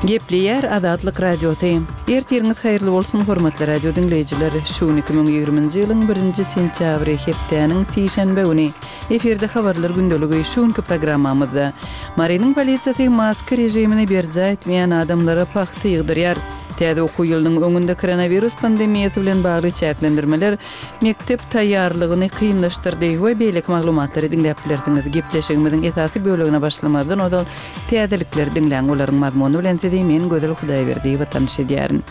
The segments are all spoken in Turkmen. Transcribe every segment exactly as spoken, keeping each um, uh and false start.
Gepleýär Azatlyk Radiosy. Ertiriňiz haýyrly bolsun, hormatly radio diňleýjiler. Şu gün iki müň ýigriminji ýylyň birinji sentýabry, hepdäniň sişenbe güni. Efirde habarlar gündeligi. Şu günki programmamyzda Marynyň polisiýasy maska režimini berjaý etmeýän adamlara pagta ýygdyrýar. Täze okuw ýylynyň öňünde koronawirus pandemiýasy bilen bagly çäklendirmeler mekdep taýýarlygyny kynlaşdyrdy we beýleki maglumatlary diňläp bilersiňiz. Gepleşigimiziň esasy bölegine başlamazdan ozal täzelikleri diňläň, olaryň mazmuny bilen sizi men Gözel Hudaýberdiýewa tanyş edýärin.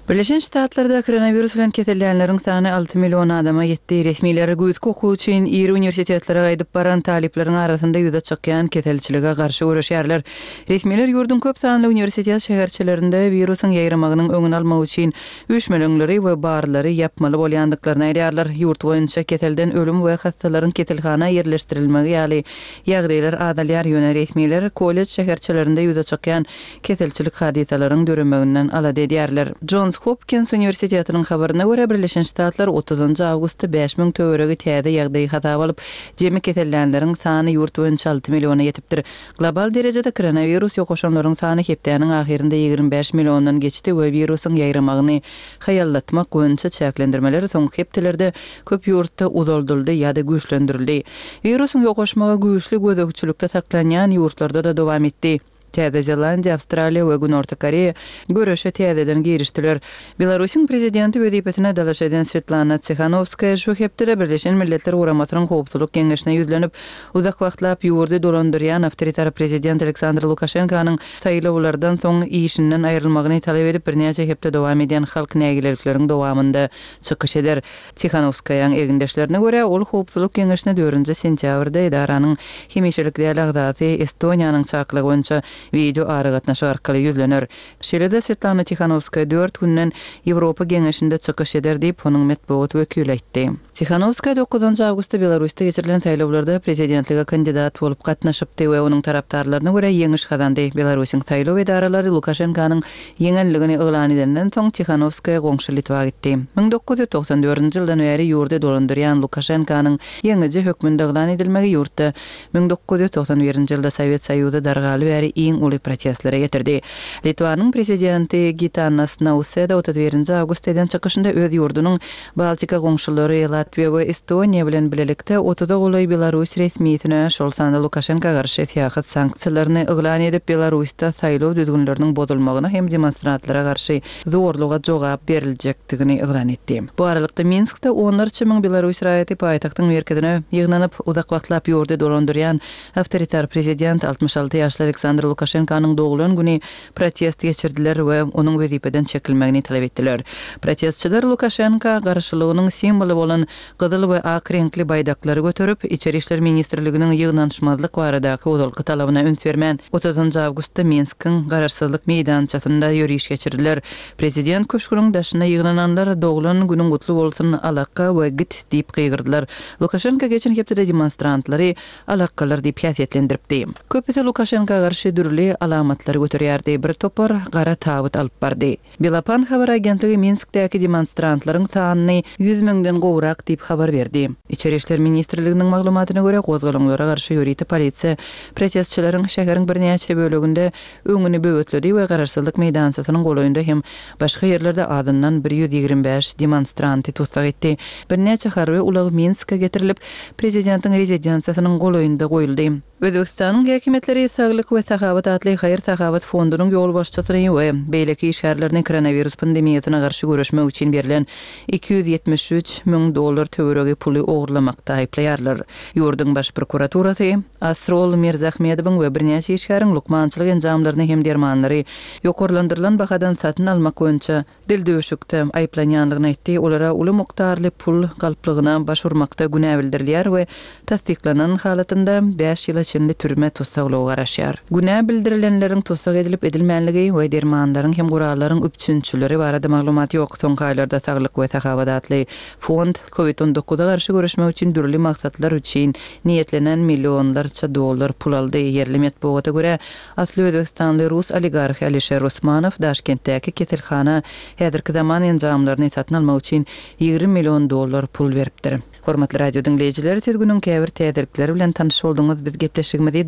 Birleşen Ştatlarda koronawirus bilen kesellänleriň sany alty million adama ýetdi. Resmiler güýzki okuw üçin iri uniwersitetlere gaýdyp baran talyplaryň arasynda ýüze çykýan keselçilige garşy göreşýärler. Resmiler ýurduň köp sanly uniwersitet şäherçelerinde wirusyň ýaýramagynyň öňüni almak üçin üýşmeleňleri we barlary ýapmaly bolýandyklaryny aýdýarlar. Ýurt boýunça keselden ölüm we hassalaryň keselhana ýerleşdirilmegi ýaly ýagdaýlar azalýar, ýöne resmiler kollej şäherçelerinde ýüze çykýan keselçilik hadysalaryň döremeginden alada edýärler. Jons Hopkins uniwersitetiniň habaryna görä, Birleşen Ştatlar otuzynjy awgustda bäş müň töweregi täze ýagdaýy hasaba alyp, jemi kesellänleriň sany ýurt boýunça alty milliona ýetipdir. Global derejede koronawirus ýokaşanlaryň sany hepdäniň ahyrynda ýigrimi bäş milliondan geçdi we wirusyň ýaýramagyny haýallatmak boýunça çäklendirmeler soňky hepdelerde köp ýurtda uzaldyldy ýa-da güýçlendirildi. Wirusyň ýokaşmagy güýçli gözegçilikde saklanýan ýurtlarda-da dowam etdi. Täze Zelandiýa, Awstraliýa we Günorta Koreýa göreşe täzeden girişdiler. Belarusyň prezidenti wezipesine dalaş eden Swetlana Tsihanowskaýa şu hepdede Birleşen Milletler Guramasynyň Howpsuzlyk Geňeşine ýüzlenip, uzak wagtlap ýurdy dolandyrýan awtoritar prezident Aleksandr Lukaşenkanyň saýlawlardan soň işinden aýrylmagyny talap edip birnäçe hepde dowam edýän halk nägilelikleriň dowamynda çykyş eder. Tsihanowskaýaň egindeşlerine görä, ol Howpsuzlyk Geňeşine dördünji sentýabrda edaranyň hemişelik däl agzasy Estoniýanyň çakylygy boýunça wideo aragatnaşyk arkaly ýüzlener. Şeýle-de Swetlana Tihanowskaýa dört günden Ýewropa Geňeşinde çykyş eder diýip, onuň metbugat wekili aýtdy. Tihanowskaýa dokuzynjy awgustda Belarusda geçirilen saýlawlarda prezidentlige kandidat bolup gatnaşypdy we onuň tarapdarlaryna görä ýeňiş gazandy. Belarusyň saýlaw edaralary Lukaşenkanyň ýeňenligini yglan edenden soň Tihanowskaýa goňşy Litwa gitdi. Müň dokuz ýüz togsan dördünji ýyldan bäri ýurdy dolandyrýan Lukaşenkanyň ýeňiji hökmünde yglan edilmegi ýurtda müň dokuz ýüz togsan birinji ýylda Sowet Soýuzy dargaly bäri iň uly protestlere getirdi. Litwanyň prezidenti Gitanas Nauseda otuz birinji awgustda eden çykyşynda öz ýurdunyň Baltika goňşulary Latwiýa we Estoniýa bilen bilelikde otuza golaý belarus resmisine, şol sanda Lukaşenka garşy syýahat sanksiýalaryny yglan edip, Belarusda saýlaw düzgünleriniň bozulmagyna hem demonstrantlara garşy zorluga jogap beriljekdigini yglan etdi. Bu aralykda Minskde onlarça müň belarus raýaty paýtagtyň merkezine ýygnanyp, uzak wagtlap ýurdy dolandyrýan awtoritar prezident altmyş alty ýaşly Aleksandr Lukaşenkanyň doglan güni protest geçirdiler we onuň wezipeden çekilmegini talap etdiler. Protestçiler Lukaşenka garşylygynyň simwoly bolan gyzyl we ak reňkli baýdaklary göterip, Içeri işler ministrliginiň ýygnanyşmazlyk baradaky ozalky talabyna üns bermän, otuzynjy awgustda Minskiň Garaşsyzlyk meýdançasynda ýöriş geçirdiler. Prezident köşgüniň daşyna ýygnananlar Doglan günüň gutly bolsun, alakga we git diýip gygyrdylar. Lukaşenka geçen hepdede demonstrantlary alakgalar diýip häsiýetlendiripdi. Köpüsi Lukaşenka garşy dürli alamatlary göterýärdi, bir topar gara tabyt alyp bardy. Belapan habar agentligi Minskdäki demonstrantlaryň sanyny ýüz müňden gowrak diýip habar berdi. Içeri işler ministrliginiň maglumatyna görä, gozgalaňlara garşy ýörite polisiýa protestçileriň şäheriň birnäçe böleginde öňüni böwetledi we Garaşsyzlyk meýdançasynyň golaýynda hem başga ýerlerde azyndan bir ýüz ýigrimi bäş demonstranty tussag etdi. Birnäçe harby ulag Minske getirilip, prezidentiň rezidensiýasynyň golaýynda goýuldy. Özbegistanyň häkimiýetleri Saglyk we sahawat atly haýyr-sahawat fondunyň ýolbaşçysyny we beýleki işgärlerini koronawirus pandemiýasyna garşy göreşmek üçin berlen iki ýüz ýetmiş üç müň dollar töweregi puly ogurlamakda aýyplaýarlar. Ýurduň Baş prokuraturasy Asrol Mirzahmedowyň we birnäçe işgäriň lukmançylyk enjamlaryny hem dermanlary ýokarlandyrylan bahadan satyn almak boýunça dildüwşükde aýyplanýandygyny aýtdy. Olara uly mukdarly pul galplygyna baş urmakda günä bildirilýär we tassyklanan halatynda bäş ýyla çenli türme tussaglygy garaşýar. Günä bildirilenleriň tussag edilip edilmänligi we dermanlaryň hem gurallaryň üpjünçileri barada maglumat ýok. Soňky aýlarda Saglyk we sahawat atly fond kovid on dokuza garşy göreşmek üçin dürli maksatlar üçin niýetlenen millionlarça dollar pul aldy. Ýerli metbugata görä, asly özbekistanly rus oligarhy Alişer Usmanow Daşkentdäki keselhana häzirki zaman enjamlaryny satyn almak üçin ýigrimi million dollar pul beripdir. Hormatly radio diňleýjiler, siz günüň käbir täzelikleri bilen tanyş bolduňyz. Biz gepleşigimizi